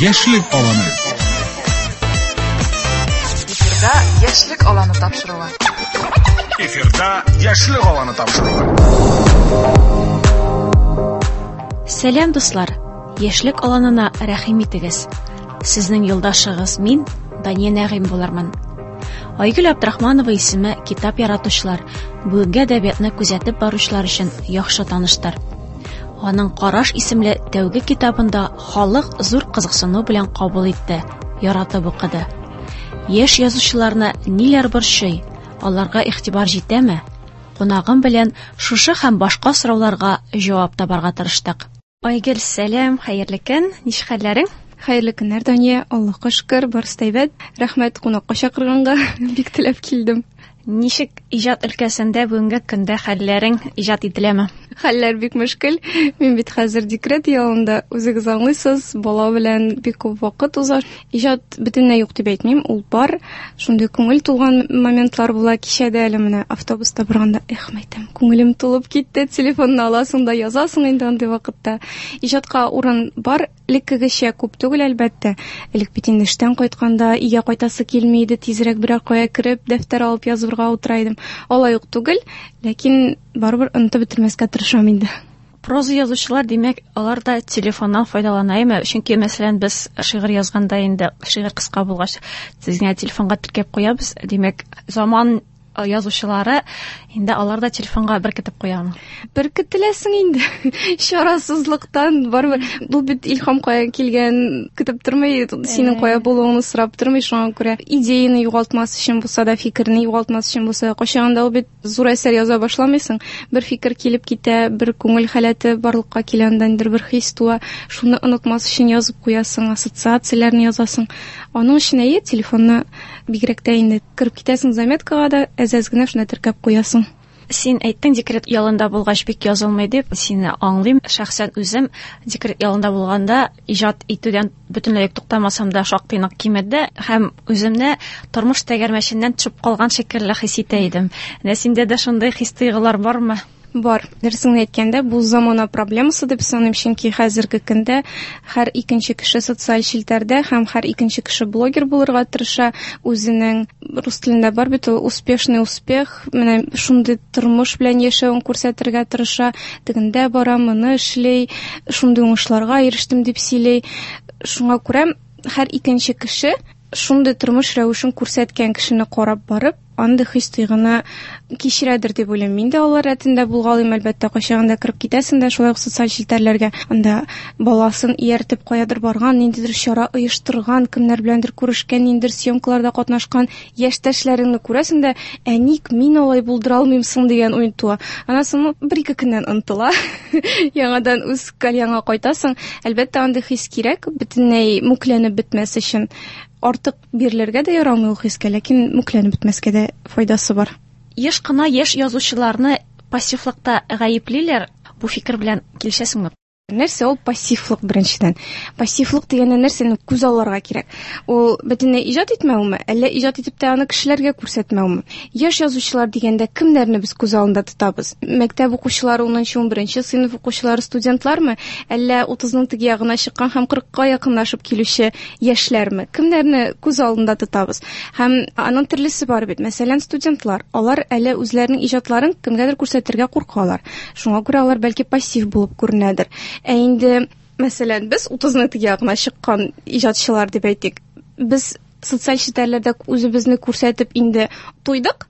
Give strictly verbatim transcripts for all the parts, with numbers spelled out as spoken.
Яшьлек аланы. Эфирда Яшьлек аланы тапшыруы. Эфирда Яшьлек аланы тапшыруы. Сәлам, дуслар! Яшьлек аланына рәхим итегез. Сезнең юлдашыгыз мин, Дания Нәгыйм булырмын. Айгөл Абдрахманова исеме китап яратучылар, бүгенге әдәбиятны күзәтеп баручылар өчен яхшы таныштыр. Аның Караш исемле тәүге китабында халык зур кызыксыну белән кабул итте, яратып укыды. Яшь язучыларны ниләр борчый, аларга игътибар җитәме? Кунагым белән шушы һәм башка сорауларга җавап табарга тырыштык. Айгөл, сәлам, хәерле көн, ничек хәлләрең? Хәерле көннәр, Дания, Аллаһка шөкер, барысы да әйбәт. Рәхмәт кунакка чакырганга, бик теләп килдем. Ничек иҗат өлкәсендә бүгенге көндә хәлләрең иҗат ителәме? Хәлләр бик мөшкел. Мин бит хәзер декрет ялында, үзегез аңлыйсыз, бала белән бик күп вакыт уза. Иҗат бөтенләй юк дип әйтмим, ул бар. Шундый күңел тулган моментлар була. Кичә дә әле менә автобуста барганда, эх, мәйтәм, күңелем тулып китте. Телефонны аласың да язасың инде андый вакытта. Иҗатка урын бар, элеккегечә күп түгел, әлбәттә. Элек бит инде эштән кайтканда өйгә кайтасы килми иде, тизрәк берәр кая кереп, дәфтәр алып язырга утыра идем. Алай ук түгел, ләкин барыбер онытып бетермәскә тырышам инде. Проза язучылар, димәк, алар да телефоннан файдалана, әйме? Чөнки, мәсәлән, без шигырь язганда инде шигырь кыска булгач, тиз генә телефонга теркәп куябыз. Димәк, заман язучылары инде алар да телефонга беркетеп куямы? Беркетеләсең инде. Чарасызлыктан барыбер. Бу бит илһам кая килгән, көтеп тормый, синең кая булуыңны сорап тормый, шуңа күрә идеяны югалтмас өчен булса да, фикерне югалтмас өчен булса да, кайчагында ул бит зур әсәр яза башламыйсың, бер фикер килеп китә, бер күңел халәте барлыкка килә, андан бер хис туа, шуны онытмас өчен язып куясың, ассоциацияләрне язасың. Аның өчен әйе, телефонны бигрәк тә инде кереп китәсең заметкага да, әз-әз генә шуны теркәп куясың. Син әйттең, декрет ялында булгач бик язылмый дип, сине аңлыйм. Шәхсән үзем декрет ялында булганда иҗат итүдән бөтенләй туктамасам да шактый нык кимеде һәм үземне тормыш тәгәрмәченнән төшеп калган шикелле хис итә идем. Менә синдә дә шундый хис-тойгылар бармы? Бар. Дөресен әйткәндә, бу замана проблемасы дип саныйм, чөнки хәзерге көндә һәр икенче кеше социаль челтәрдә һәм һәр икенче кеше блогер булырга тырыша. Үзенең рус телендә бар бит ул успешный успех, менә шундый тормыш белән яшәвен күрсәтергә тырыша, тегендә бара, моны эшли, шундый уңышларга ирештем дип сөйли. Шуңа күрә һәр икенче кеше шундый тормыш рәвешен күрсәткән кешене карап барып, андый хис-тойгыны кичерәдер дип уйлыйм. Мин дә алар рәтендә булгалыйм, әлбәттә, кайчагында кереп китәсең дә шулай ук социаль челтәрләргә, анда баласын ияртеп каядыр барган, ниндидер чара оештырган, кемнәр беләндер күрешкән, ниндидер съемкаларда катнашкан яшьтәшләреңне күрәсең дә, ә ник мин алай булдыра алмыйм соң дигән уй туа. Аннан соң бер-ике көннән онытыла. Яңадан үз кальяңа кайтасың. Әлбәттә, андый хис кирәк, бөтенләй мүкләнеп бетмәс өчен. Артык бирелергә дә ярамый ул хискә, ләкин мүкләнеп бетмәскә дә файдасы бар. Еш кына яшь язучыларны пассивлыкта гаеплиләр. Бу фикер белән килешәсеңме? Нәрсә ул пассивлык беренчедән? Пассивлык дигәндә нәрсәне күз алларга кирәк? Ул бөтенләй иҗат итмәүме, әллә иҗат итеп тә аны кешеләргә күрсәтмәүме? Яшь язучылар дигәндә кемнәрне без күз алдында тотабыз? Мәктәп укучылары, унынчы, унберенче сыйныф укучылары, студентлармы, әллә утызның теге ягына чыккан һәм кырыкка якынлашып килүче яшьләрме? Кемнәрне күз алдында тотабыз? Һәм аның төрлесе бар бит. Мәсәлән, студентлар, алар әле үзләренең иҗатларын кемгәдер күрсәтергә куркалар. Шуңа күрә алар бәлки пассив булып күренәдер. Ә инде, мәсәлән, без утызның теге ягына чыккан иҗатчылар дип әйтик, без социаль челтәрләрдә үзебезне күрсәтеп инде туйдык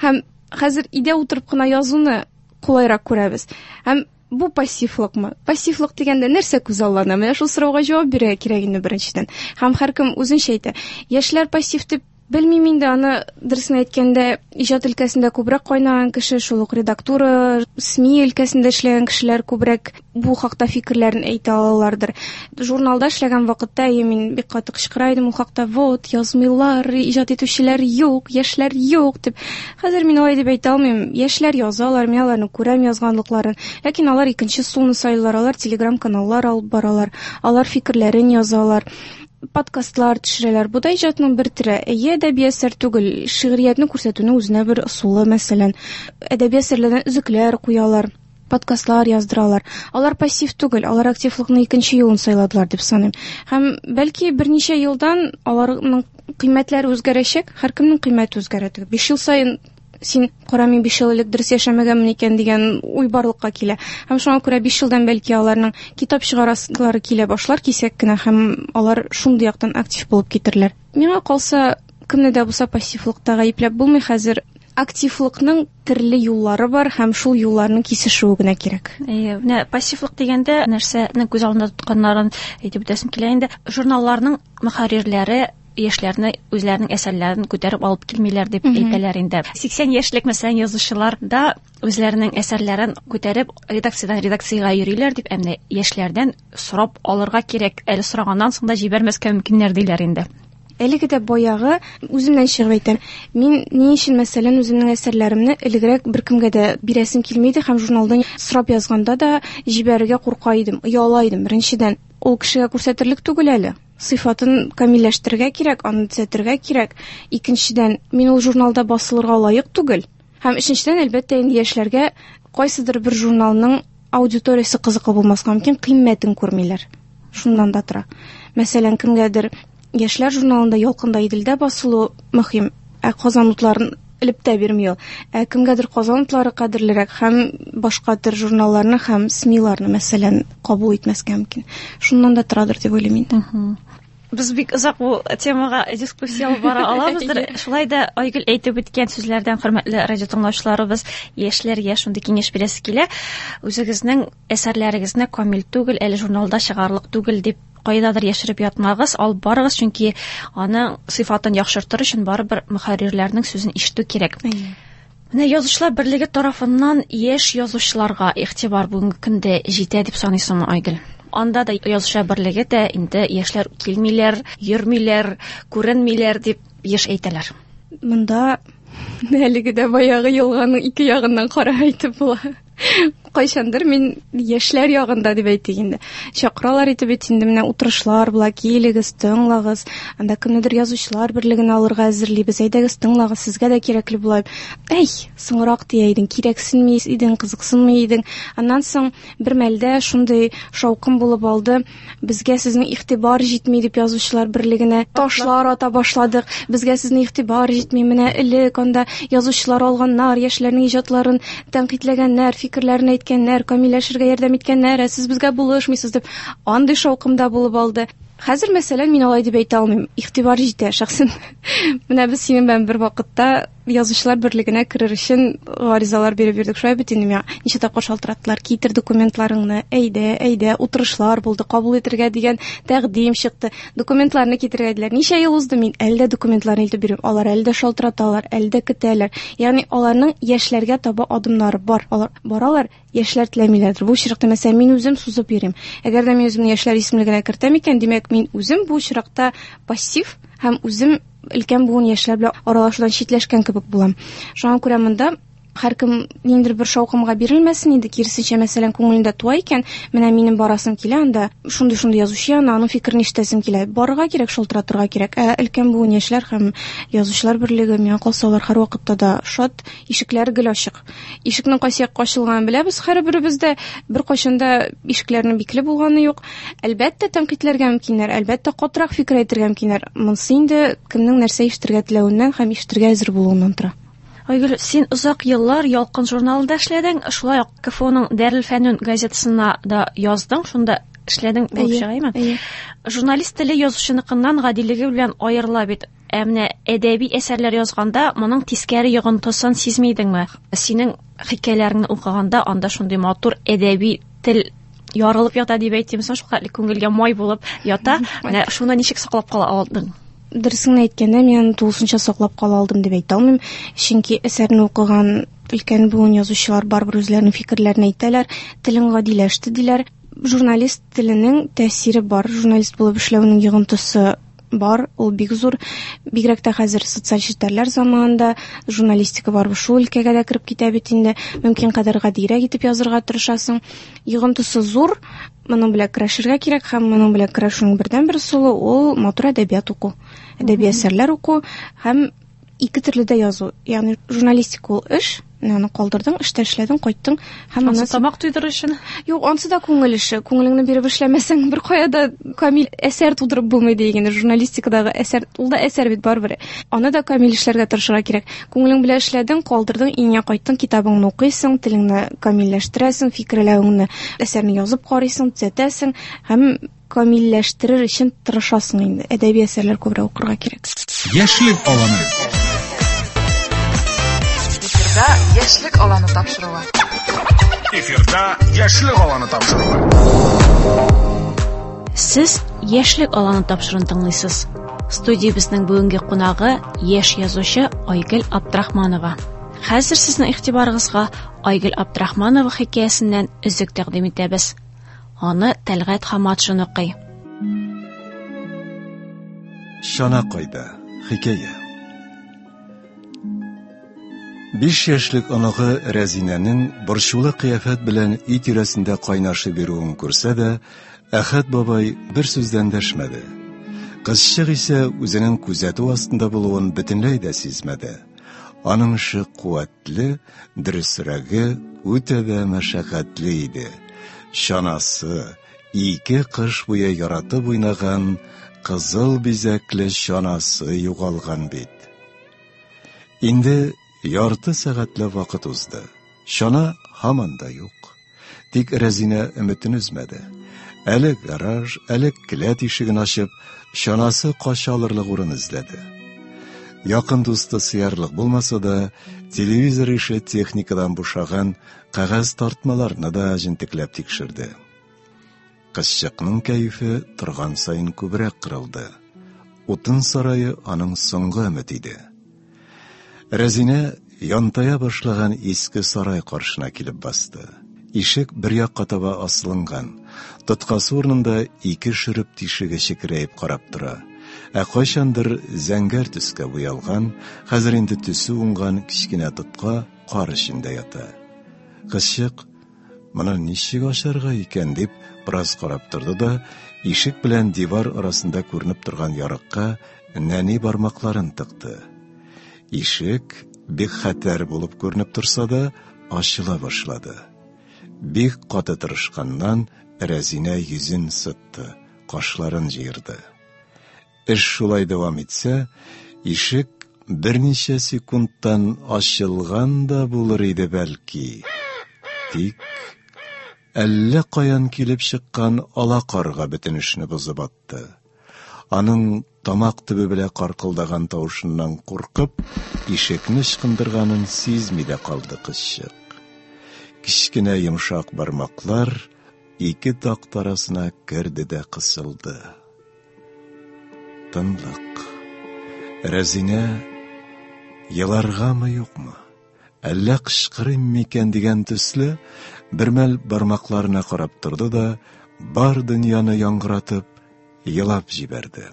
һәм хәзер өйдә утырып кына язуны кулайрак күрәбез. Һәм бу пассивлыкмы? Пассивлык дигәндә нәрсә күз аллана? Менә шул сорауга җавап бирергә кирәк инде беренчедән. Һәм һәркем үзенчә әйтә. Яшьләр пассив дип белмим инде, аны дөресен әйткәндә, иҗат өлкәсендә күбрәк кайнаган кеше, шул ук редактура, СМИ өлкәсендә эшләгән кешеләр күбрәк бу хакта фикерләрен әйтә алалардыр. Журналда эшләгән вакытта, әйе, мин бик каты кычкыра идем ул хакта, вот, язмыйлар, иҗат итүчеләр юк, яшьләр юк дип. Хәзер мин алай дип әйтә алмыйм. Яшьләр язалар, мин аларны күрәм язганлыкларын. Ләкин алар икенче суны сайлар, алар телеграм-каналлар алып баралар, алар фикерләрен язалар. подкастлар төшерәләр. Бу да иҗатның бер төре. Әйе, әдәби әсәр түгел, шигъриятне күрсәтүнең үзенә бер ысулы, мәсәлән. Әдәби әсәрләрдән өзекләр куялар. подкастлар яздыралар. Алар пассив түгел, алар активлыкның икенче юлын сайладылар дип саныйм. Һәм бәлки берничә елдан аларның кыйммәтләре үзгәрәчәк, һәркемнең кыйммәте үзгәрә. Биш ел саен син кара, мин биш ел элек дөрес яшәмәгәнмен икән дигән уй барлыкка килә. Һәм шуңа күрә биш елдан бәлки аларның китап чыгарасылары килә башлар кисәк кенә, һәм алар шундый яктан актив булып китерләр. Миңа калса, кемне дә булса пассивлыкта гаепләп булмый хәзер. Активлыкның төрле юллары бар һәм шул юлларның кисешүе генә кирәк. Әйе, менә пассивлык дигәндә нәрсәне күз алдында тотканнарын әйтеп үтәсем килә инде. Журналларның мөхәррирләре яшьләрне үзләренең әсәрләрен күтәреп алып килмиләр дип әйтәләр инде. Сиксән яшьлек мәсәлән язучылар да үзләренең әсәрләрен күтәреп редакциядән редакциягә йөриләр дип, ә менә яшьләрдән сорап алырга кирәк, әле сораганнан соң да җибәрмәскә мөмкиннәр диләр инде. Әлеге дә баягы үземнән чыгып әйтәм. Мин ни өчен, мәсәлән, үземнең әсәрләремне элегрәк беркемгә дә бирәсем килми иде һәм журналдан сорап язганда да җибәрергә курка идем, ояла идем. Беренчедән, ул кешегә күрсәтерлек түгел әле. Сыйфатын камилләштерергә кирәк, аны төзәтергә кирәк. Икенчедән, мин ул журналда басылырга лаек түгел. Һәм өченчедән, әлбәттә, инде яшьләргә кайсыдыр бер журналның аудиториясе кызыклы булмаска мөмкин, кыйммәтен күрмиләр. Шуннан да тора. Мәсәлән, кемгәдер Яшьләр журналында Ялкында Иделдә басылу мөһим, ә Казан утларын элеп тә бирми ул. Ә кемгәдер Казан утлары кадерлерәк һәм башка төр журналларны һәм СМИларны, мәсәлән, кабул итмәскә мөмкин. Шуннан да торадыр дип уйлыйм инде. Без бик озак бу темага дискуссия алып бара алабыздыр. Шулай да Айгөл әйтеп үткән сүзләрдән, хөрмәтле радио тыңлаучыларыбыз, яшьләргә шундый киңәш бирәсе килә. Үзегезнең әсәрләрегезне камил түгел, әле журналда чыгарлык түгел дип кайдадыр яшереп ятмагыз, алып барыгыз, чөнки аның сыйфатын яхшыртыр өчен барыбер мөхәррирләрнең сүзен ишетү кирәк. Менә Язучылар берлеге тарафыннан яшь язучыларга игътибар бүгенге көндә җитә дип саныйсыңмы, Айгөл? Анда да Язучылар берлеге дә инде яшьләр килмиләр, йөрмиләр, күренмиләр дип еш әйтәләр. Монда әлеге дә баягы елганың ике ягыннан карап әйтеп була. Кайчандыр мин яшьләр ягында дип әйтик инде. Чакыралар итеп бит инде, менә утырышлар була, килегез, тыңлагыз. Анда кемнедер Язучылар берлеген алырга әзерлибез. Әйдәгез, тыңлагыз, сезгә дә кирәкле була. Әй, соңрак дия идең, кирәксенми идең, кызыксынмый идең. Аннан соң бер мәлдә шундый шаукым булып алды. Безгә сезнең игътибар җитми дип Язучылар берлегенә ташлар ата башладык. Безгә сезнең игътибар җитми. Менә элек анда язучылар алганнар, яшьләрнең иҗатларын тәнкыйтьләгәннәр, фикерләрен әйткәннәр, камилләшергә ярдәм иткәннәр, ә сез безгә булышмыйсыз дип андый шаукымда булып алды. Хәзер, мәсәлән, мин алай дип әйтә алмыйм. Игътибар җитә шәхсән. Менә без синең белән бер вакытта Язучылар берлегенә керер өчен гаризалар биреп йөрдек. Шулай бит инде, миңа ничә тапкыр шалтыраттылар, китер документларыңны, әйдә, әйдә, утырышлар булды, кабул итергә дигән тәкъдим чыкты. Документларны китерергә диделәр. Ничә ел узды, мин әле дә документларны илтеп бирәм. Алар әле дә шалтыраталар, әле дә көтәләр. Ягъни аларның яшьләргә таба адымнары бар. Алар баралар, яшьләр теләмиләрдер. Бу очракта, мәсәлән, мин үзем сузып йөрим. Әгәр дә мин үземне яшьләр исемлегенә кертәм икән, димәк, мин үзем бу очракта пассив һәм үзем өлкән буын яшьләр белән аралашудан читләшкән кебек булам. Шуңа күрә монда һәркем ниндидер бер шаукымга бирелмәсен инде, киресенчә, мәсәлән, күңелендә туа икән, менә минем барасым килә, анда шундый-шундый язучы янына, аның фикерен ишетәсем килә. Барырга кирәк, шалтыратырга кирәк. Ә өлкән буын яшьләр һәм Язучылар берлеге, миңа калса, алар һәрвакытта да шат, ишекләр гел ачык. Ишекнең кайсы якка ачылганын беләбез һәрберебез дә, беркайчан да ишекләрнең бикле булганы юк. Әлбәттә, тәнкыйтьләргә мөмкиннәр, әлбәттә, катырак фикер әйтергә мөмкиннәр. Монысы инде кемнең нәрсә ишетергә теләвеннән һәм ишетергә әзер булуыннан тора. Айгөл, син озак еллар Ялкын журналында эшләдең, шулай ук КФУның Дәрелфәнүн газетасына да яздың, шунда эшләдең булып чыгаймы? Журналист теле язучыныкыннан гадилеге белән аерыла бит. Ә менә әдәби әсәрләр язганда моның тискәре йогынтысын сизми идеңме? Синең хикәяләреңне укыганда анда шундый матур әдәби тел ярылып ята дип әйтим, соң шулкадәр күңелгә май булып ята. Менә шуны ничек саклап кала алдың? Дөресен әйткәндә, мин тулысынча саклап кала алдым дип әйтә алмыйм, чөнки әсәрне укыган өлкән буын язучылар барыбер үзләренең фикерләрен әйтәләр, телең гадиләште диләр. Журналист теленең тәэсире бар, журналист булып эшләүнең йогынтысы бар, ул бик зур. Бигрәк тә хәзер социаль челтәрләр заманында журналистика барыбер шул өлкәгә дә кереп китә бит инде. Мөмкин кадәр гадирәк итеп язырга тырышасың. Йогынтысы зур, моның белән көрәшергә кирәк һәм моның белән көрәшүнең бердәнбер ысулы ул матур әдәбият уку, әдәби әсәрләр уку һәм ике төрле дә язу. Ягъни журналистика ул эш, Менә аны калдырдың, эштә эшләдең, кайттың һәм аннан тамак туйдырыр өчен. Юк, ансы да күңел эше. Күңелеңне биреп эшләмәсәң, бер кая да камил әсәр тудырып булмый дигән. Журналистикадагы әсәр, ул да әсәр бит барыбер. Аны да камил эшләргә тырышырга кирәк. Күңелең белән эшләдең, калдырдың, өеңә кайттың, китабыңны укыйсың, телеңне камилләштерәсең, фикерләвеңне, әсәрне язып карыйсың, төзәтәсең һәм камилләштерер өчен тырышасың инде. Әдәби әсәрләр күбрәк укырга кирәк. Яшьлек аланы. Эфирда Яшьлек аланы тапшыруы. Эфирда Яшьлек аланы тапшыруы. Сез Яшьлек аланы тапшыруын тыңлыйсыз. Студиябезнең бүгенге кунагы яшь язучы Айгөл Абдрахманова. Хәзер сезнең игътибарыгызга Айгөл Абдрахманова хикәясеннән өзек тәкъдим итәбез. Аны Тәлгать Хаматшин укый. Чана кайда? Хикәя. Биш яшьлек оныгы Рәзинәнең борчулы кыяфәт белән өй тирәсендә кайнашып йөрүен күрсә дә, Әхәт бабай бер сүздән дәшмәде. Кызчык исә үзенең күзәтү астында булуын бөтенләй дә сизмәде. Аның эше куәтле, дөресрәге, үтә дә мәшәкатьле иде. Чанасы, ике кыш буе яратып уйнаган кызыл бизәкле чанасы югалган бит. Инде ярты сәгатьләп вакыт узды. Чана һаман да юк. Тик Рәзинә өметен өзмәде. Әле гараж, әле келәт ишеген ачып, чанасы кача алырлык урын эзләде. Якын дусты сыярлык булмаса да, телевизор ише техникадан бушаган кәгазь тартмаларны да җентекләп тикшерде. Кызчыкның кәефе торган саен күбрәк кырылды. Утын сарае аның соңгы өмете иде. Рәзинә янтая башлаган иске сарай каршына килеп басты. Ишек бер якка таба асылынган. Тоткасы урынында ике шөреп тишеге чекерәеп карап тора. Ә кайчандыр зәңгәр төскә буялган, хәзер инде төсе уңган кечкенә тотка кар эчендә ята. Кызчык, моны ничек ачарга икән дип бераз карап торды да, ишек белән дивар арасында күренеп торган ярыкка нәни бармакларын тыкты. Ишек бик хәтәр булып күренеп торса да, ачыла башлады. Бик каты тырышканнан Рәзинә йөзен сытты, кашларын җыерды. Эш шулай дәвам итсә, ишек берничә секундтан ачылган да булыр иде бәлки. Тик әллә каян килеп чыккан ала карга бөтен эшне бозып атты. Аның тамак төбе белән каркылдаган тавышыннан куркып, ишекне ычкындырганын сизми дә калды кызчык. Кечкенә йомшак бармаклар ике такта арасына керде дә кысылды. Тынлык. Рәзинә еларгамы юкмы, әллә кычкырыйм микән дигән төсле бер мәл бармакларына карап торды да, бар дөньяны яңгыратып елап җибәрде.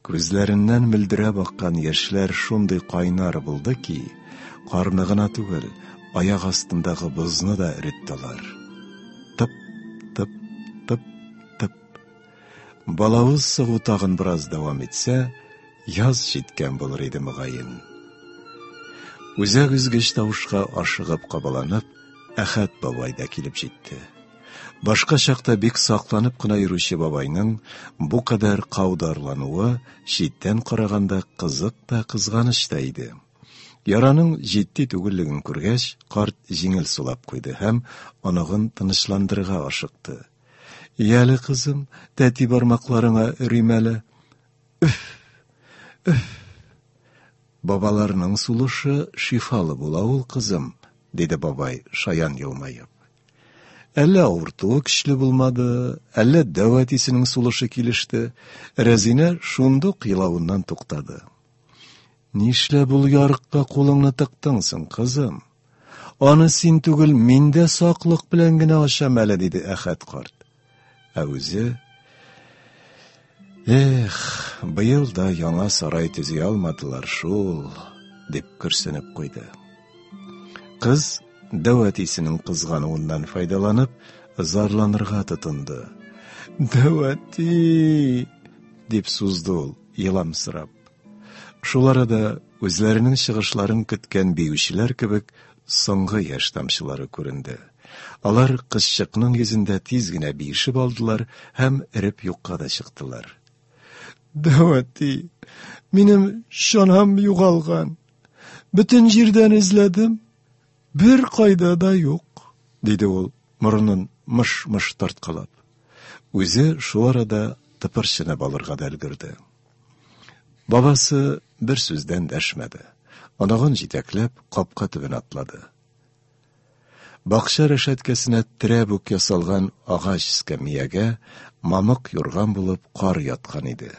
Күзләреннән мөлдерәп аккан яшьләр шундый кайнар булды ки, карны гына түгел, аяк астындагы бозны да эреттеләр. Тып, тып, тып, тып. Балавыз сыгу тагын бераз дәвам итсә, яз җиткән булыр иде мөгаен. Үзәк өзгеч тавышка ашыгып кабаланып, Әхәт бабай да килеп җитте. Башка чакта бик сакланып кына йөрүче бабайның бу кадәр каударлануы читтән караганда кызык та кызганыч та иде. Яраның җитди түгеллеген күргәч, карт җиңел сулап куйды һәм оныгын тынычландырырга ашыкты. Яле, кызым, тәти бармакларыңа өрим әле. Өф! Өф! Бабаларның сулышы шифалы була ул, кызым, диде бабай, шаян елмаеп. Әллә авыртуы көчле булмады, әллә дәү әтисенең сулышы килеште. Рәзинә шундук елавыннан туктады. Нишләп ул ярыкка кулыңны тыктың соң, кызым? Аны син түгел, мин дә саклык белән генә ачам әле, диде Әхәт карт. Ә үзе, эх, быел да яңа сарай төзи алмадылар шул, дип көрсенеп куйды. Кыз дәү әтисенең кызгануыннан файдаланып, зарланырга тотынды. Дәү әти, дип сузды ул, еламсырап. Шул арада үзләренең чыгышларын көткән биючеләр кебек соңгы яшь тамчылары күренде. Алар кызчыкның йөзендә тиз генә биешеп алдылар һәм эреп юкка да чыктылар. Дәү әти, минем чанам югалган. Бөтен җирдән эзләдем, бер кайда да юк, диде ул, морынын мыш-мыш тарткалап. Үзе шул арада тыпырчынып алырга да өлгерде. Бабасы бер сүздән дәшмәде. Оныгын җитәкләп капка төбенә атлады. Бакча рәшәткәсенә терәп үк ясалган агач эскәмиягә мамык юрган булып кар яткан иде.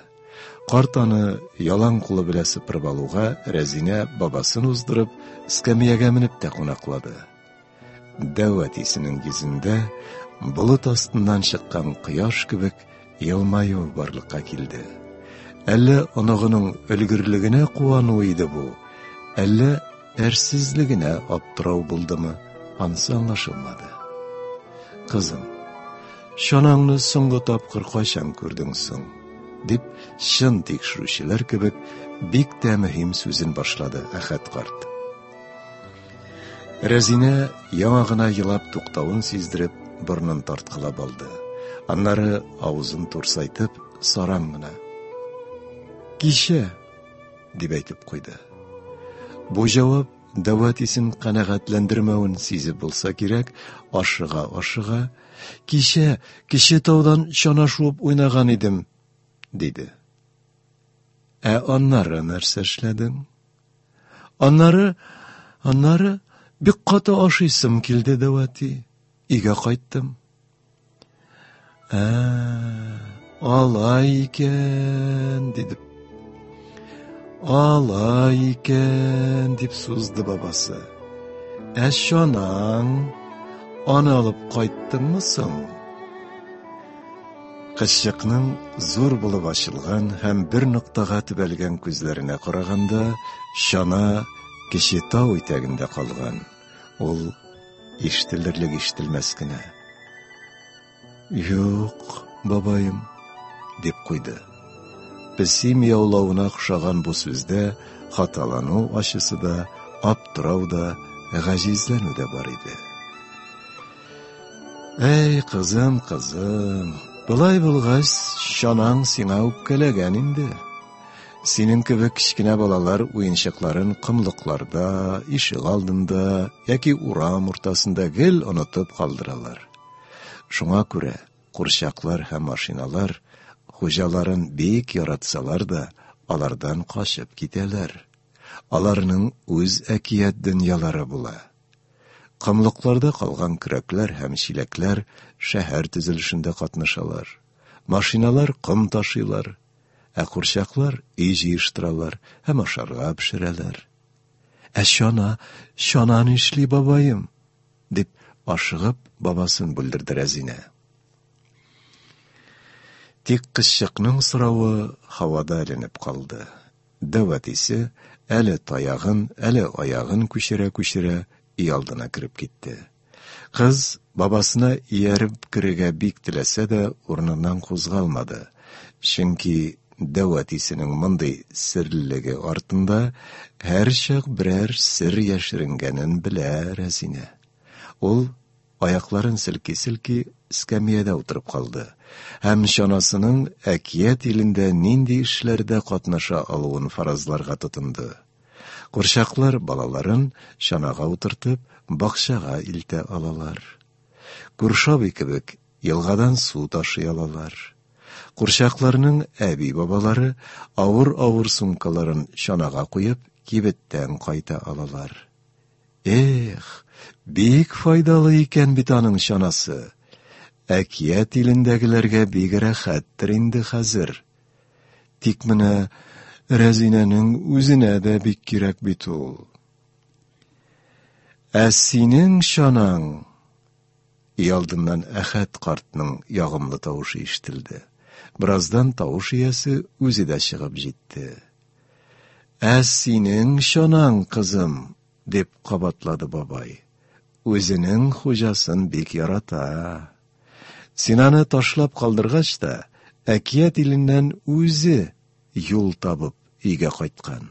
Карт аны ялан кулы белән сыпырып алуга, Рәзинә бабасын уздырып, эскәмиягә менеп тә кунаклады. Дәү әтисенең йөзендә болыт астыннан чыккан кояш кебек елмаю барлыкка килде. Әллә оныгының өлгерлегенә куану иде бу, әллә әрсезлегенә аптырау булдымы, анысы аңлашылмады. Кызым, чанаңны соңгы тапкыр кайчан күрдең соң? Дип, чын тикшерүчеләр кебек бик тә мөһим сүзен башлады Әхәт карт. Рәзинә яңа гына елап туктавын сиздереп, борынын тарткалап алды. Аннары авызын турсайтып, саран гына: "Кичә", дип әйтеп куйды. Бу җавап дәү әтисен канәгатьләндермәвен сизеп булса кирәк, ашыга-ашыга: "Кичә Кече таудан чана шуып уйнаган идем", диде. Ә аннары нәрсә эшләдең? Аннары, аннары бик каты ашыйсым килде, дәү әти. Өйгә кайттым. Ә, алай икән, диде. Алай икән, дип сузды бабасы. Ә чанаң, аны алып кайттыңмы соң? Кызчыкның зур булып ачылган һәм бер ноктага төбәлгән күзләренә караганда, чана Кече тау итәгендә калган. Ул ишетелерлек ишетелмәс кенә: "Юк, бабаем", дип куйды. Песи мияулавына охшаган бу сүздә хаталану ачысы да, аптырау да, гаҗизләнү дә бар иде. Әй, кызым, кызым, болай булгач, чанаң сиңа үпкәләгән инде. Синең кебек кечкенә балалар уенчыкларын комлыкларда, ишегалдында яки урам уртасында гел онытып калдыралар. Шуңа күрә курчаклар һәм машиналар хуҗаларын бик яратсалар да, алардан качып китәләр. Аларның үз әкият дөньялары була. Комлыкларда калган көрәкләр һәм чиләкләр шәһәр төзелешендә катнашалар. Машиналар ком ташыйлар, ә курчаклар өй җыештыралар һәм ашарга пешерәләр. Ә чана, чана нишли, бабаем? Дип ашыгып бабасын бүлдерде Рәзинә. Тик кызчыкның соравы һавада эленеп калды. Дәү әтисе әле таягын, әле аягын күчерә-күчерә өй алдына кереп китте. Кыз бабасына ияреп керергә бик теләсә дә урыныннан кузгалмады. Чөнки дәү әтисенең мондый серлелеге артында һәрчак берәр сер яшеренгәнен белә Рәзинә. Ул аякларын селки-селки эскәмиядә утырып калды һәм чанасының әкият илендә нинди эшләрдә катнаша алуын фаразларга тотынды. Курчаклар балаларын чанага утыртып, бакчага илтә алалар. Күрше абый кебек елгадан су ташый алалар. Курчакларның әби-бабалары авыр-авыр сумкаларын чанага куеп, кибеттән кайта алалар. Эх, бик файдалы икән бит аның чанасы. Әкият илендәгеләргә бик рәхәттер инде хәзер. Тик менә Рәзинәнең үзенә дә бик кирәк бит ул. Ә синең чанаң? Өй алдыннан Әхәт картның ягымлы тавышы ишетелде. Бераздан тавыш иясе үзе дә чыгып җитте. Ә синең чанаң, кызым, дип кабатлады бабай. Үзенең хуҗасын бик ярата. Син аны ташлап калдыргач та, әкият иленнән үзе юл табып өйгә кайткан.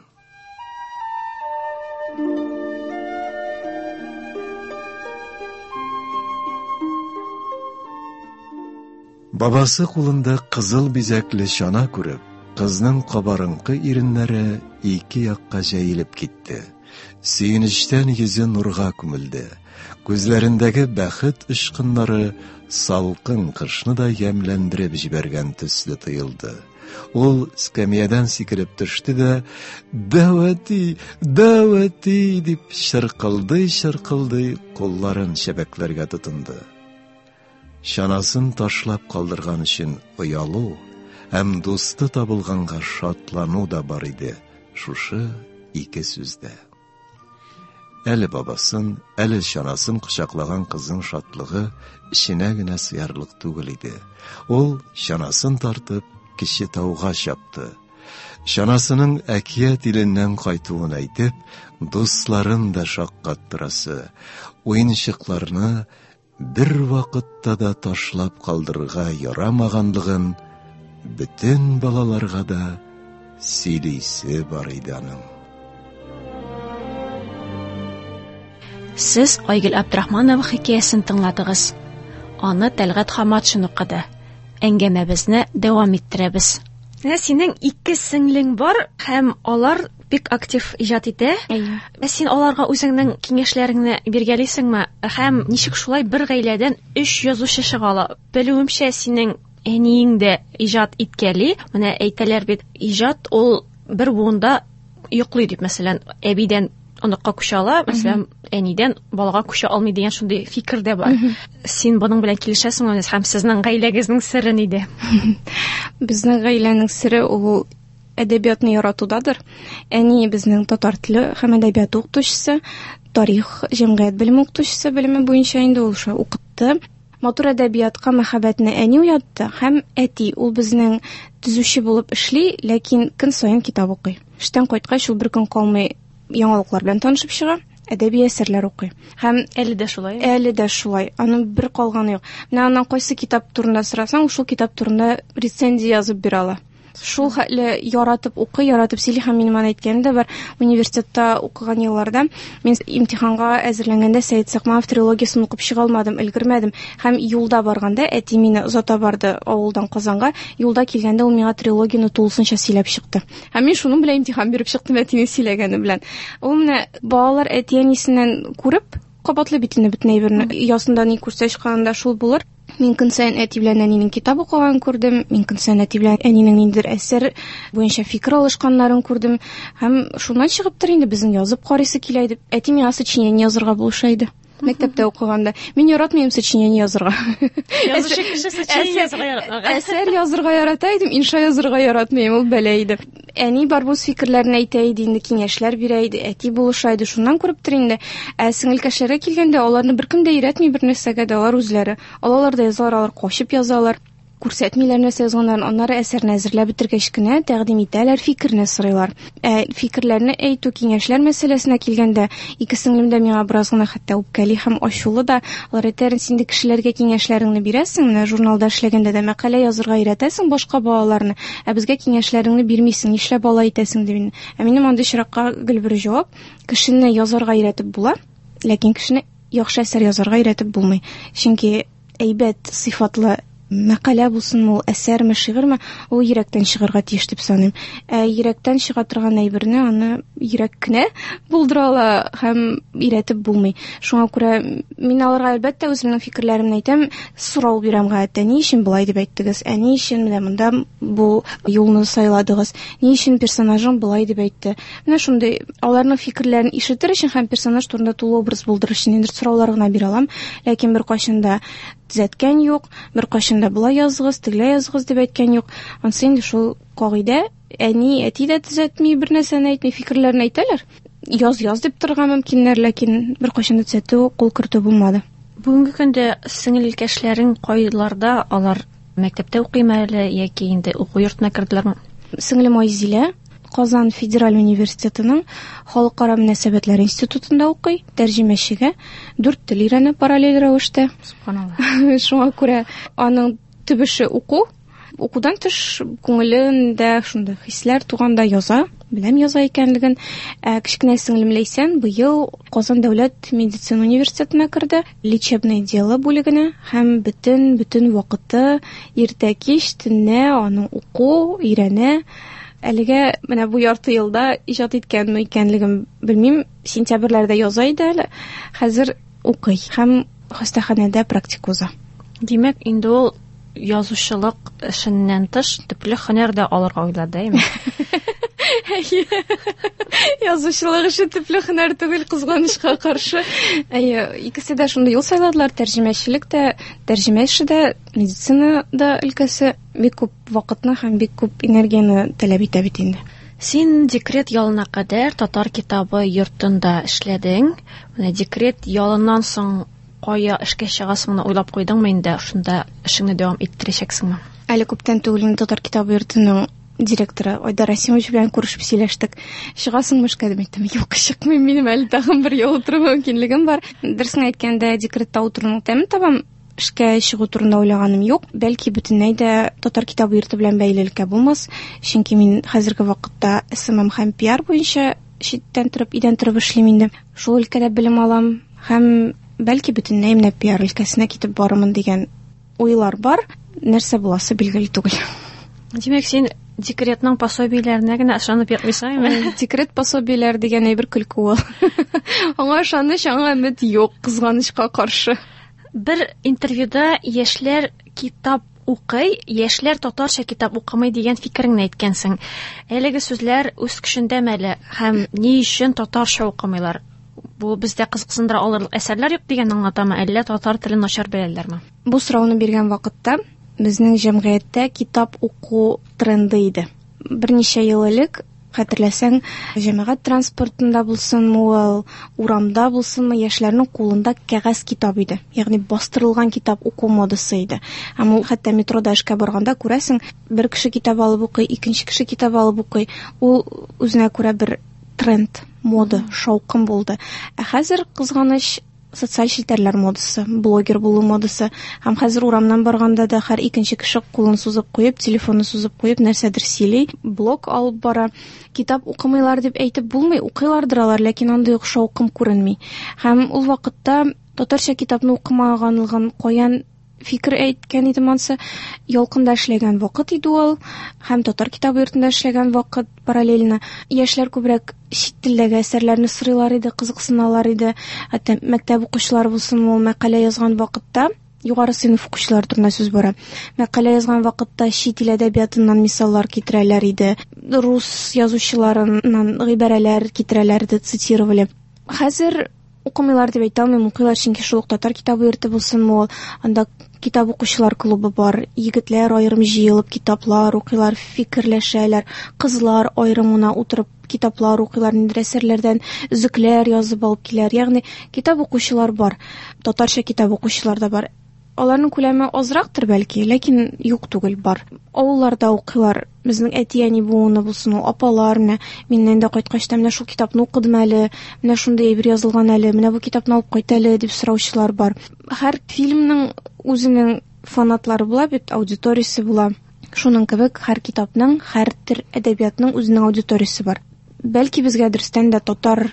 Бабасы кулында кызыл бизәкле чана күреп, кызның кабарынкы иреннәре ике якка җәелеп китте. Сөенечтән йөзе нурга күмелде. Күзләрендәге бәхет очкыннары салкын кышны да ямьләндереп җибәргән төсле тоелды. Ул скамьядан сикереп төште дә, «Дәү әти, дәү әти!» дип чыркылдый-чыркылдый кулларын чәбәкләргә тотынды. Чанасын ташлап калдырган өчен оялу һәм дусты табылганга шатлану да бар иде шушы ике сүздә. Әле бабасын, әле чанасын кочаклаган кызның шатлыгы эченә генә сыярлык түгел иде. Ул чанасын тартып кече тауга чапты. Чанасының әкият иленнән кайтуын әйтеп, дусларын да шаккаттырасы, уенчыкларны бер вакытта да ташлап калдырырга ярамаганлыгын бөтен балаларга да сөйлисе бар иде аның. Сез Айгөл Абдрахманова хикәясен тыңладыгыз. Аны Тәлгать Хаматшин укыды. Әңгәмәбезне дәвам иттерәбез. Менә синең ике сеңлең бар һәм алар бик актив иҗат итә. Әйе. Ә син аларга үзеңнең киңәшләреңне биргәлисеңме? Һәм ничек шулай бер гаиләдән өч язучы чыга ала? Белүемчә, синең әниең дә иҗат иткәли. Менә әйтәләр бит, иҗат ул бер буында йоклый дип, мәсәлән, әбидән оныкка күчә ала, мәсәлән, әнидән балага күчә алмый дигән шундый фикер дә бар. Син моның белән килешәсеңме? Һәм сезнең гаиләгезнең сере нидә? Безнең гаиләнең сере ул әдәбиятны яратудадыр. Әни безнең татар теле һәм әдәбият укытучысы, тарих, җәмгыять белеме укытучысы белеме буенча инде ул шулай укытты. Матур әдәбиятка мәхәббәтне әни уятты һәм әти ул безнең төзүче булып эшли, ләкин көн саен китап укый. Эштән кайткач ул бер көн калмый яңалыклар белән танышып чыга, әдәби әсәрләр укый. Һәм әле дә шулай. Әле дә шулай. Аның бер калганы юк. Менә аннан кайсы китап турында сорасаң, шул китап турында рецензия язып бирә ала. Шул хәтле яратып укый, яратып сөйли. Һәм минем аны әйткәнем дә бар. Университетта укыган елларда мин имтиханга әзерләнгәндә Сәет Сакманов трилогиясын укып чыга алмадым, өлгермәдем. Һәм юлда барганда әти мине озата барды авылдан Казанга. Юлда килгәндә ул миңа трилогияне тулысынча сөйләп чыкты. Һәм мин шуның белән имтихан биреп чыктым әтинең сөйләгәне белән. Ул менә балалар әти-әнисеннән күреп кабатлый бит инде бөтен әйберне. Ясында ни күрсә чыкканда шул булыр. Мин көн саен әти белән әнинең китап укыганын күрдем, мин көн саен әти белән әнинең ниндидер әсәр буенча фикер алышканнарын күрдем. Һәм шуннан чыгыптыр инде безнең язып карыйсы килә иде. Әти миңа сочинение язырга булыша иде. Мәктәптә укыганда. Мин яратмыйм сочинение язырга. Язучы кеше сочинение язырга яратмаган. Әсәр язырга ярата идем, инша язырга яратмыйм, ул бәла иде. Әни бар бу фикерләрен әйтә иде, инде киңәшләр бирә иде, әти булыша иде, шуннан күрептер инде. Ә сеңелкәшләргә килгәндә аларны беркем дә өйрәтми бер нәрсәгә дә, алар үзләре. Алалар да язалар, алар качып язалар. Күрсәтмиләр нәрсә язганнарын, аннары әсәрне әзерләп бетергәч кенә тәкъдим итәләр, фикерне сорыйлар. Ә фикерләрне әйтү, киңәшләр мәсьәләсенә килгәндә, ике сеңлем дә миңа бераз гына хәтта үпкәли һәм ачулы да. Алар әйтәләр, син дә кешеләргә киңәшләреңне бирәсең, менә журналда эшләгәндә дә мәкалә язырга өйрәтәсең башка балаларны, ә безгә киңәшләреңне бирмисең, нишләп алай итәсең дип. Ә минем андый очракка гел бер җавап: кешене язарга өйрәтеп була, ләкин кешене яхшы әсәр язарга өйрәтеп булмый. Чөнки әйбәт сыйфатлы мәкалә булсынмы ул, әсәрме, шигырьме, ул йөрәктән чыгарга тиеш дип саныйм. Ә йөрәктән чыга торган әйберне аны йөрәк кенә булдыра ала һәм өйрәтеп булмый. Шуңа күрә мин аларга әлбәттә үземнең фикерләремне әйтәм, сорау бирәм гадәттә, ни өчен болай дип әйттегез, ә ни өчен менә монда бу юлны сайладыгыз, ни өчен персонажың болай дип әйтте. Менә шундый аларның фикерләрен ишетер өчен һәм персонаж турында тулы образ булдырыр өчен инде сораулар гына бирә алам, ләкин беркайчан да төзәткән юк, беркайчан да болай языгыз, тегеләй языгыз дип әйткән юк. Ансы инде шул кагыйдә, әни, әти дә төзәтми, бер нәрсәне әйтми, фикерләрен әйтәләр. Яз, яз дип торырга мөмкиннәр, ләкин беркайчан да төзәтү, кул кертү булмады. Бүгенге көндә сеңелкәшләрең кайларда, алар мәктәптә укыймы әле яки инде уку йортына керделәрме? Сеңлем Айзилә Казан федераль университетының Халыкара мөнәсәбәтләр институтында укый, тәрҗемәчегә дүрт тел өйрәнә параллель рәвештә. Субханалла. Шуңа күрә аның төп эше уку, Укудан тыш күңелендә шундый хисләр туганда яза, беләм яза икәнлеген. Ә кечкенә сеңлем Ләйсән быел Казан дәүләт медицина университетына керде, лечебное дело бүлегенә, һәм бөтен бөтен вакыты иртә кич төнлә аның уку, өйрәнә. Әлегә менә бу ярты елда иҗат иткәнме икәнлеген белмим. Сентябрьләрдә яза иде әле. Хәзер укый һәм хастаханәдә практика уза. Димәк, инде ул язучылык эшеннән тыш төпле һөнәр дә алырга уйлады, әйме? Әйе. Язучылык эше төпле һөнәр түгел, кызганычка каршы. Әйе, икесе дә шундый юл сайладылар. Тәрҗемәчелек тә, тәрҗемә эше дә, медицина да өлкәсе бик күп вакытны һәм бик күп энергияне таләп итә бит инде. Син декрет ялына кадәр татар китабы йортында эшләдең. Менә декрет ялыннан соң кая эшкә чыгасыңны уйлап куйдыңмы инде? Шунда эшеңне дәвам иттерәчәксеңме? Әле күптән түгел инде татар китабы йортының директоры Айдар Расимович белән күрешеп сөйләштек. Чыгасыңмы эшкә дип әйттем. Юк, чыкмыйм, минем әле тагын бер ел утыру мөмкинлегем бар. Дөресен әйткәндә, декретта утыруның тәмен табам. Эшкә чыгу турында уйлаганым юк. Бәлки бөтенләй дә татар китабы йорты белән бәйлелеккә булмас. Чөнки мин хәзерге вакытта эс эм эм һәм пиар буенча читтән торып, өйдән торып эшлим инде. Шул өлкәдә белем алам һәм бәлки бөтенләй менә пиар өлкәсенә китеп барырмын дигән уйлар бар. Нәрсә буласы билгеле түгел. Димәк, син декретның пособиеләренә генә ышанып ятмыйсыңмы? Декрет пособиеләр дигән әйбер көлке ул. Аңа ышаныч, аңа өмет юк, кызганычка каршы. Бер интервьюда яшьләр китап укый, яшьләр татарча китап укымый дигән фикереңне әйткәнсең. Әлеге сүзләр үз көчендәме әле һәм ни өчен татарча укымыйлар? Бу бездә кызыксындыра алырлык әсәрләр юк дигән аңлатамы, әллә татар телен начар беләләрме? Бу сорауны биргән вакытта безнең җәмгыятьтә китап уку тренды иде. Берничә ел элек, хәтерләсәң, җәмәгать транспортында булсынмы ул, урамда булсынмы, яшьләрнең кулында кәгазь китап иде. Ягъни бастырылган китап уку модасы иде. Һәм ул хәтта метрода эшкә барганда күрәсең, бер кеше китап алып укый, икенче кеше китап алып укый. Ул үзенә күрә бер тренд, мода, шаукым булды. Ә хәзер кызганыч социаль челтәрләр модасы, блогер булу модасы. Һәм хәзер урамнан барганда да һәр икенче кеше кулын сузып куеп, телефонын сузып куеп, нәрсәдер сөйли, блог алып бара. Китап укымыйлар дип әйтеп булмый, укыйлардыр алар, ләкин андый ук шаукым күренми. Һәм ул вакытта татарча китапны укымаганлыгын каян фикер әйткән идем ансы, Ялкында эшләгән вакыт иде ул, һәм татар китабы йортында эшләгән вакыт параллельно. Яшьләр күбрәк чит телдәге әсәрләрне сорыйлар иде, кызыксыналар иде. Хәтта мәктәп укучылары булсын, ул мәкалә язган вакытта, югары сыйныф укучылары турында сүз бара. Мәкалә язган вакытта чит ил әдәбиятыннан мисаллар китерәләр иде. Рус язучыларыннан гыйбарәләр китерәләр иде, цитировали. Хәзер укымыйлар дип әйтә алмыйм, укыйлар, чөнки шул ук татар китабы йорты булсынмы ул, анда китап укучылар клубы бар, егетләр аерым җыелып китаплар укыйлар, фикерләшәләр, кызлар аерым гына утырып китаплар укыйлар, ниндидер әсәрләрдән өзекләр язып алып киләләр. Ягъни китап укучылар бар, татарча китап укучылар да бар. Аларның күләме азрактыр бәлки, ләкин юк түгел, бар. Авылларда укыйлар, безнең әти-әни буыны булсын, ул апалар, менә миннән дә кайткач та менә шул китапны укыдым әле, менә шундый әйбер язылган әле, менә бу китапны алып кайт әле дип сораучылар бар. Һәр фильмның үзенең фанатлары була бит, аудиториясе була. Шуның кебек һәр китапның, һәр төр әдәбиятның үзенең аудиториясе бар. Бәлки безгә дөрестән дә татар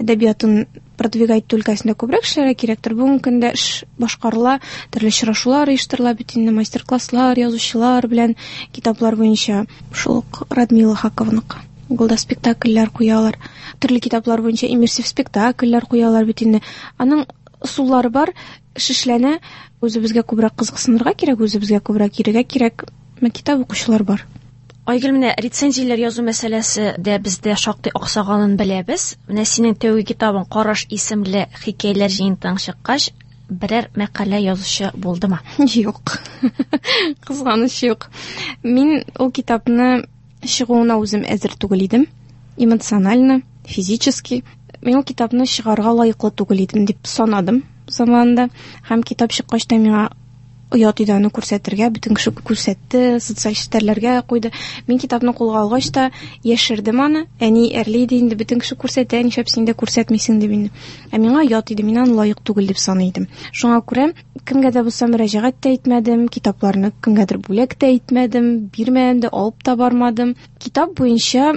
әдәбиятын продвигать итү өлкәсендә күбрәк эшләргә кирәктер. Бүгенге көндә эш башкарыла, төрле очрашулар оештырыла бит инде, мастер-класслар, язучылар белән китаплар буенча. Шул ук Радмила Хакованыкы. Углда спектакльләр куялар, төрле китаплар буенча иммерсив спектакльләр куялар бит инде. Аның ысуллары бар, эш эшләнә. Үзебезгә күбрәк кызыксынырга кирәк, үзебезгә күбрәк йөрергә кирәк. Менә китап укучылар бар. Айгөл, менә рецензияләр язу мәсьәләсе дә бездә шактый аксаганын беләбез. Менә синең тәүге китабың Караш исемле хикәяләр җыентыгың чыккач, берәр мәкалә язучы булдымы? Юк. Кызганыч юк. Мин ул китапны чыгуына үзем әзер түгел идем. Эмоционально, физически. Мин ул китапны чыгарга лаеклы түгел идем дип санадым заманында. Һәм китап чыккач та миңа Оят иде аны күрсәтергә, бөтен кеше күрсәтте, социаль челтәрләргә куйды. Мин китапны кулга алгач та яшердем аны. Әни әрли иде инде, бөтен кеше күрсәтә, нишләп син дә күрсәтмисең дип инде. Ә миңа оят иде, мин аны лаек түгел дип саный идем. Шуңа күрә кемгә дә булса мөрәҗәгать тә итмәдем, китапларны кемгәдер бүләк тә итмәдем, бирмәдем дә, алып та бармадым. Китап буенча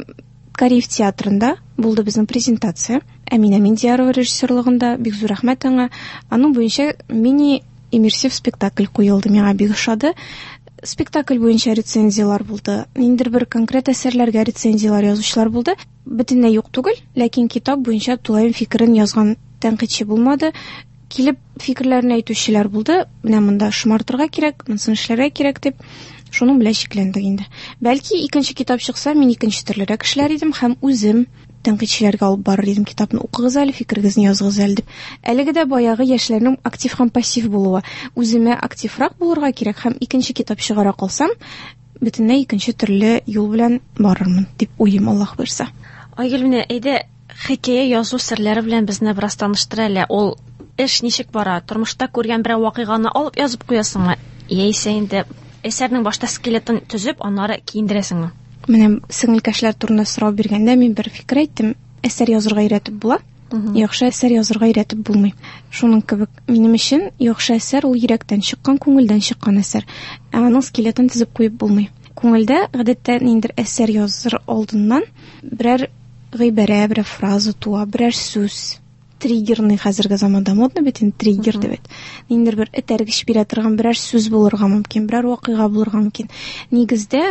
Кариев театрында булды безнең презентация. Әминә Миндиярова режиссерлыгында, бик зур рәхмәт аңа. Аның буенча мини иммерсив спектакль куелды, миңа бик ошады. Спектакль буенча рецензиялар булды. Ниндидер бер конкрет әсәрләргә рецензиялар язучылар булды. Бөтенләй юк түгел, ләкин китап буенча тулаем фикерен язган тәнкыйтьче булмады. Килеп фикерләрен әйтүчеләр булды. Менә монда шомартырга кирәк, монысын эшләргә кирәк дип. Шуның белән чикләндек инде. Бәлки икенче китап чыкса, мин икенче төрлерәк эшләр идем һәм үзем тәнкыйтьчеләргә алып барыр идем китапны. Укыгыз әле, фикерегезне языгыз әле дип. Әлеге дә баягы яшьләрнең актив һәм пассив булуы. Үземә активрак булырга кирәк һәм икенче китап чыгара калсам, бөтенләй икенче төрле юл белән барырмын дип уйлыйм, Аллаһ боерса. Айгөл, менә әйдә хикәя язу серләре белән безне бераз таныштыр әле. Ул эш ничек бара? Тормышта күргән берәр вакыйганы алып язып куясыңмы? Яисә инде әсәрнең башта скелетын төзеп, аннары киендерәсеңме? Менә сеңелкәшләр турында сорау биргәндә мин бер фикер әйттем. Әсәр язырга өйрәтеп була, яхшы әсәр язырга өйрәтеп булмый. Шуның кебек минем өчен яхшы әсәр ул йөрәктән чыккан, күңелдән чыккан әсәр. Ә аның скелетын төзеп куеп булмый. Күңелдә гадәттә ниндидер әсәр языр алдыннан берәр гыйбарә, берәр фраза туа, берәр сүз. Триггерный хәзерге заманда модно бит инде триггер дип әйт. Ниндидер бер этәргеч бирә торган берәр сүз булырга мөмкин, берәр вакыйга булырга мөмкин. Нигездә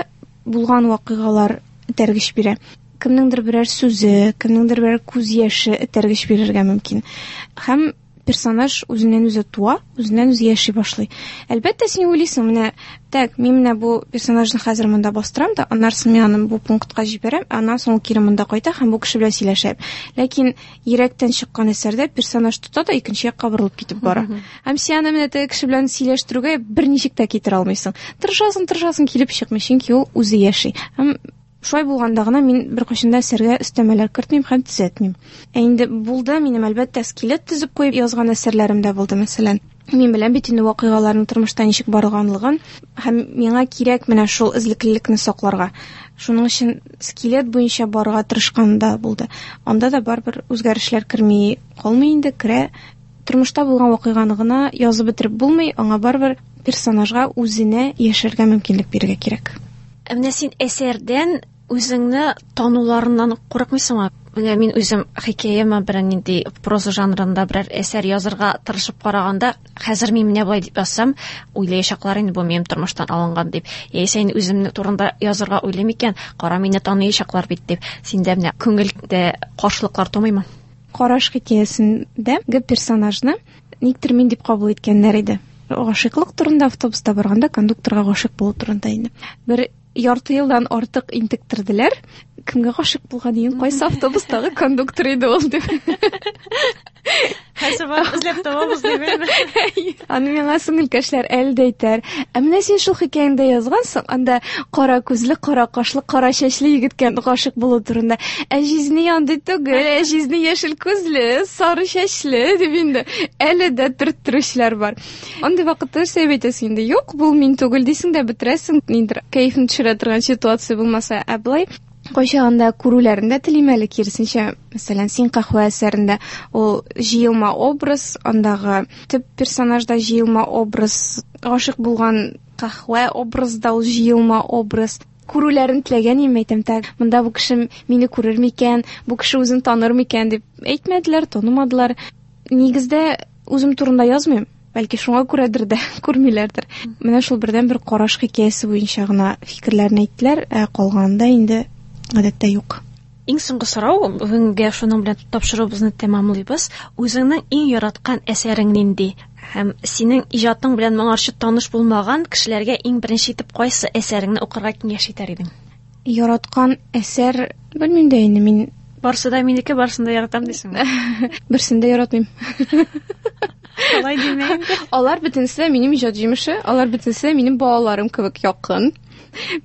булган вакыйгалар этәргеч бирә. Кемнеңдер берәр сүзе, кемнеңдер берәр күз яше этәргеч бирергә мөмкин. Һәм персонаж үзеннән үзе туа, үзеннән үзе яши башлый. Әлбәттә, син уйлыйсың, менә так, мин менә бу персонажны хәзер монда бастырам да, аннан соң мин аны бу пунктка җибәрәм, аннан соң ул кире монда кайта һәм бу кеше белән сөйләшә. Ләкин йөрәктән чыккан әсәрдә персонаж тота да икенче якка борылып китеп бара. Һәм син аны менә теге кеше белән сөйләштерүгә берничек тә китерә алмыйсың. Тырышасың, тырышасың, килеп чыкмый, чөнки ул үзе яши. Һәм шулай булганда гына мин беркайчан да әсәргә өстәмәләр кертмим һәм төзәтмим. Ә инде булды, минем әлбәттә скелет төзеп куеп язган әсәрләрем дә булды, мәсәлән. Мин беләм бит инде вакыйгаларның тормышта ничек барганлыгын һәм миңа кирәк менә шул эзлеклелекне сакларга. Шуның өчен скелет буенча барырга тырышкан да булды. Анда да барыбер үзгәрешләр керми калмый инде, керә. Тормышта булган вакыйганы гына язып бетереп булмый, аңа барыбер персонажга үзенә яшәргә мөмкинлек бирергә кирәк. Ә менә син әсәрдән үзеңне тануларыннан курыкмыйсыңмы? Менә мин үзем хикәяме берәр нинди проза жанрында берәр әсәр язырга тырышып караганда, хәзер мин менә болай дип язсам, уйлаячаклар инде бу минем тормыштан алынган дип. Яисә инде үземне турында язырга уйлыйм икән, кара мине таныячаклар бит дип. Синдә менә күңелдә каршылыклар тумыймы? Караш хикәясендә персонажны никтер мин дип кабул иткәннәр иде. Гашыйклык турында автобуста барганда кондукторга гашыйк булу турында инде. Бер ярты елдан артык интектерделәр. Кемгә гашыйк булган идең, кайсы автобустагы кондуктор иде ул дип. Хәзер барып эзләп табабыз дип. Аны миңа сеңелкәшләр әле дә әйтәр. Ә менә син шул хикәяңдә язгансың, анда кара күзле, кара кашлы, кара чәчле егеткә гашыйк булу турында. Ә җизни андый түгел, ә җизни яшел күзле, сары чәчле дип инде әле дә төрттерүчеләр бар. Андый вакытта нәрсә әйтәсең инде? Юк, бу мин түгел дисең дә бетерәсең, ниндидер кәефне төшерә торган ситуация булмаса, ә болай кайчагында күрүләрен дә телим әле, киресенчә, мәсәлән, Син каһвә әсәрендә ул җыелма образ, андагы төп персонажда җыелма образ, гашыйк булган каһвә образда ул җыелма образ. Күрүләрен теләгән идем, әйтәм, так, монда бу кеше мине күрер микән, бу кеше үзен таныр микән дип әйтмәделәр, танымадылар. Нигездә үзем турында язмыйм. Бәлки шуңа күрәдер дә күрмиләрдер. Менә шул бердән-бер караш хикәясе буенча гына фикерләрен әйттеләр, ә калганында инде гадәттә юк. Иң соңгы сорау, бүгенгә шуның белән тапшыруыбызны тәмамлыйбыз. Үзеңнең иң яраткан әсәрең нинди? Һәм синең иҗатың белән моңарчы таныш булмаган кешеләргә иң беренче итеп кайсы әсәреңне укырга киңәш итәр идең? Яраткан әсәр, белмим дә инде мин. Барсы да минеке, барысын да яратам дисеңме? Берсен дә яратмыйм. Алай димә инде. Алар бөтенесе дә минем иҗат җимеше, алар бөтенесе дә минем балаларым кебек якын.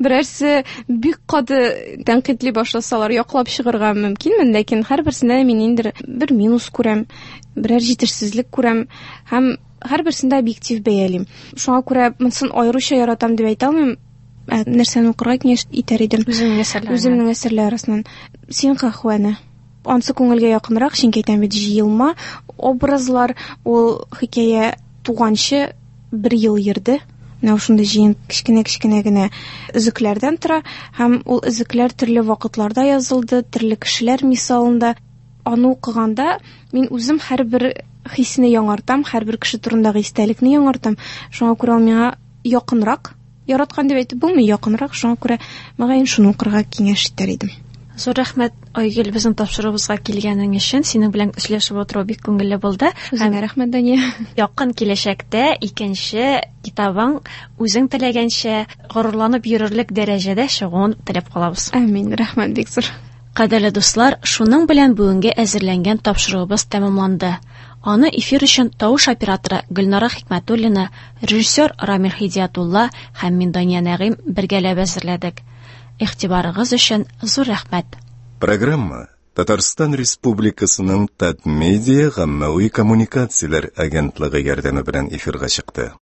Берәрсе бик каты тәнкыйтьли башласалар, яклап чыгарга мөмкинмен, ләкин һәрберсендә мин инде бер минус күрәм, берәр җитешсезлек күрәм һәм Һәрберсен дә объектив бәялим. Шуңа күрә монысын аеруча яратам дип әйтә алмыйм. Ә нәрсәне укырга киңәш итәр идем? Үзеңнең әсәрләреңнән. Үземнең әсәрләр арасыннан. Син каһвәне. Ансы күңелгә якынрак, чөнки әйтәм бит, җыелма образлар, ул хикәя туганчы бер ел йөрде. Менә шундый җыен кечкенә-кечкенә генә өзекләрдән тора, һәм ул өзекләр төрле вакытларда язылды, төрле кешеләр мисалында. Аны укыганда мин үзем һәрбер хисне яңартам, һәрбер кеше турындагы истәлекне яңартам. Шуңа күрә ул миңа якынрак, яраткан дип әйтеп булмый, якынрак, шуңа күрә мөгаен шуны укырга киңәш итәр идем. Зур рәхмәт, Айгөл, безнең тапшыруыбызга килгәнең өчен. Синең белән сөйләшеп утыру бик күңелле булды. Үзеңә рәхмәт, Дания. Якын киләчәктә икенче китабың үзең теләгәнчә горурланып йөрерлек дәрәҗәдә чыгуын теләп калабыз. Амин, рәхмәт бик зур. Кадерле дуслар, шуның белән бүгенге әзерләнгән тапшыруыбыз тәмамланды. Аны эфир өчен тавыш операторы Гөлнара Хикмәтуллина, режиссер Рамил Хидиятулла һәм мин Дания Нәгыйм бергәләп әзерләдек. Игътибарыгыз өчен зур рәхмәт. Программа Татарстан Республикасының Татмедиа гаммәви коммуникацияләр агентлыгы ярдәме белән эфирга чыкты.